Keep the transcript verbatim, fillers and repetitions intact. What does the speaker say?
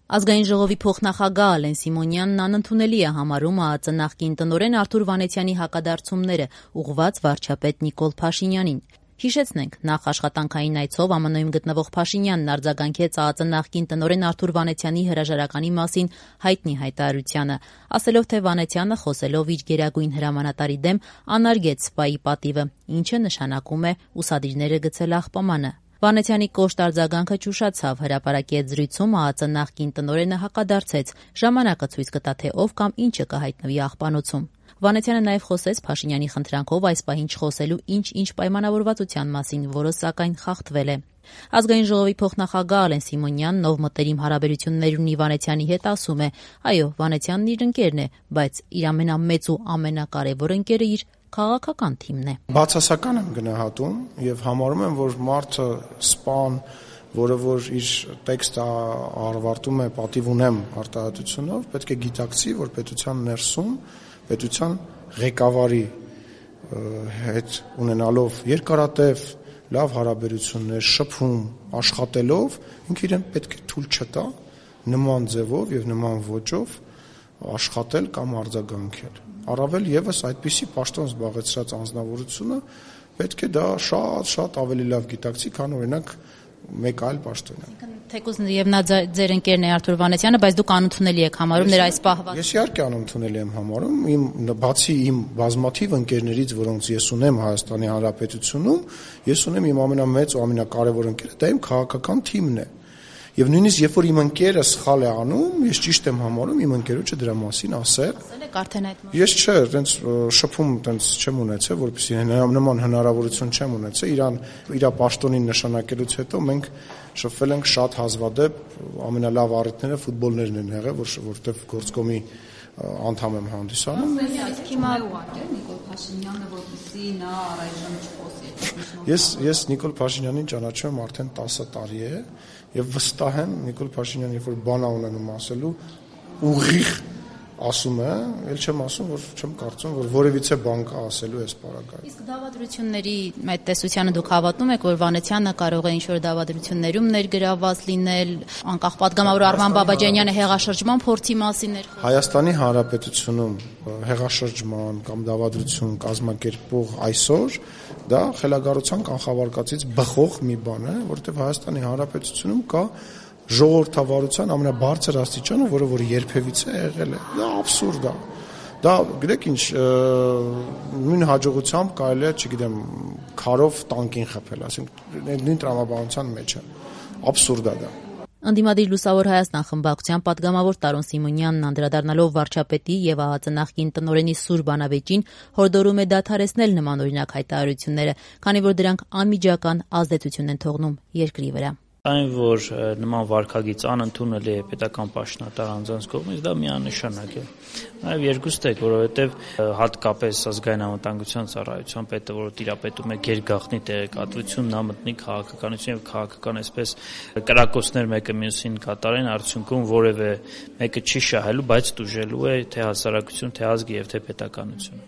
Ազգային ժողովի փոխնախագահ Ալեն Սիմոնյանն անընդունելի է համարում ԱԱԾ նախկին տնօրեն Արթուր Վանեցյանի հակադարձումները ուղղված վարչապետ Նիկոլ Փաշինյանին։ Հիշեցնենք, նախ աշխատանքային այցով ԱՄՆ-ում գտնվող Փաշինյանն արձագանքեց ԱԱԾ նախկին տնօրեն Արթուր Վանեցյանի հրաժարականի մասին հայտնի հայտարարությանը, ասելով, թե Վանեցյանը խոսելով իր գերագույն հրամանատարի դեմ անարգեց սպայի պատիվը, ինչը նշանակում է ուսադիրները գցել աղբամանը։ Վանեցյանի կոշտ արձագանքը ճուշացավ, հրապարակի հետ զրույցում ԱԱԾ նախկին տնօրենը հակադարձեց, ժամանակը ցույց կտա, թե ով կամ ինչը կհայտնվի աղբանոցում։ Վանեցյանը նաև խոսեց Փաշինյանի խնդրանքով այս պահին չխոսելու ինչ-ինչ պայմանավորվածության մասին, որը սակայն խախտվել է։ Ազգային ժողովի փոխնախագահ Ալեն Սիմոնյանն, ով մտերիմ հարաբերություններ ունի Վանեցյանի հետ, ասում է. այո, Վանեցյանն իր ընկերն է, բայց իր ամենամեծ ու ամենակարևոր ընկերը իր քաղաքական թիմն է։ Բացասական եմ գնահատում եւ համարում եմ, որ մարդը սպան, որը որ իր տեքստը արվարտում է պատիվ ունեմ արտահայտությունով, պետք է գիտակցի, որ պետության ներսում, պետության ղեկավարի հետ ունենալով երկարատև լավ հարաբերություններ, շփում, աշխատելով, ինքը իրեն պետք է թույլ չտա նման ձևով եւ նման ոճով աշխատել կամ արձագանքել։ Առավել եւս այդպիսի պաշտոն զբաղեցրած անձնավորությունը պետք է դա շատ-շատ ավելի լավ գիտակցի, քան օրինակ մեկ այլ պաշտոնյա։ Թեկուզ եւ նա ձեր ընկերն է Արթուր Վանեցյանը, բայց դուք անընդունելի եք համարում նրա այս պահվածքը։ Ես իհարկե անընդունելի եմ համարում, իմ բացի իմ բազմաթիվ ընկերներից, որոնց ես ունեմ Հայաստանի Հանրապետությունում, ես ունեմ իմ ամենամեծ ու ամենակարևոր ընկերը, դա իմ քաղաքական թիմն է։ Եվ նույնիսկ երբ որ իմ ընկերը սխալ է անում, ես ճիշտ եմ համարում իմ ընկերոջը դրա մասին ասել։ Ասել եք արդեն այդ մասին։ Ես չէ, այտենց շփում այտենց չեմ ունեցել, որպեսզի նման հնարավորություն չեմ ունեցել, իրան իր պաշտոնին նշանակելուց հետո մենք շփվել ենք շատ հազվադեպ, ամենալավ առիթները ֆուտբոլներն են եղել, որ որտեվ գործկոմի անդամ եմ հանդիսանում։ Հիմա ուղղակի Նիկոլ Փաշինյանը, որպեսզի նա առայժմ չխոսի։ Ես ես Նիկոլ Փաշինյանին ճանաչում եմ արդեն տասը տարի է եւ վստահ եմ Նիկոլ Փաշինյանը, երբ որ բան է ունենում ասելու, ուղիղ ասում է, ել չեմ ասում, որ չեմ կարծում, որ որևիցե բան կա ասելու այս պարագայում։ Իսկ դավադրությունների այդ տեսությանը դուք հավատում եք, որ Վանեցյանը կարող է ինչ-որ դավադրություններում ներգրավված լինել, անկախ պատգամավոր Արման Բաբաջանյանը հեղաշրջման փորձի մասին էր խոսում։ Հայաստանի Հանրապետությունում հեղաշրջման կամ դավադրություն կազմակերպող այսօր դա խելագարության կանխավարկածից բխող մի բան է, որովհետև Հայաստանի Հանրապետությունում կա ժողովրդավարության ամենաբարձր աստիճանը, որը որ երբևիցե եղել է։ Դա աբսուրդ է։ Դա գիտեք ինչ, նույն հաջողությամբ կարելի է, չգիտեմ, քարով տանկին խփել, ասենք նույն տրամաբանության մեջ է։ Աբսուրդ է դա։ Ընդդիմադիր Լուսավոր Հայաստան խմբակցության պատգամավոր Տարոն Սիմոնյանն անդրադառնալով վարչապետի եւ ԱԱԾ նախկին տնօրենի սուր բանավեճին հորդորում է դադարեցնել նմանօրինակ հայտարարությունները, քանի որ դրանք անմիջական ազդեցություն են թողնում երկրի վրա։ Այն, որ նման վարքագիծ անընդունելի է պետական պաշտոնատար անձանց կողմից, դա միանշանակ է։ Նաև երկուստ է, որովհետև հատկապես ազգային անվտանգության ծառայության պետը, որը տիրապետում է գերգաղտնի տեղեկատվություն, նա մտնի քաղաքականություն եւ քաղաքական այսպես կրակոցներ մեկը մյուսին կատարեն, արդյունքում որևէ մեկը չի շահելու, բայց տուժելու է թե հասարակություն, թե ազգ եւ թե պետականություն։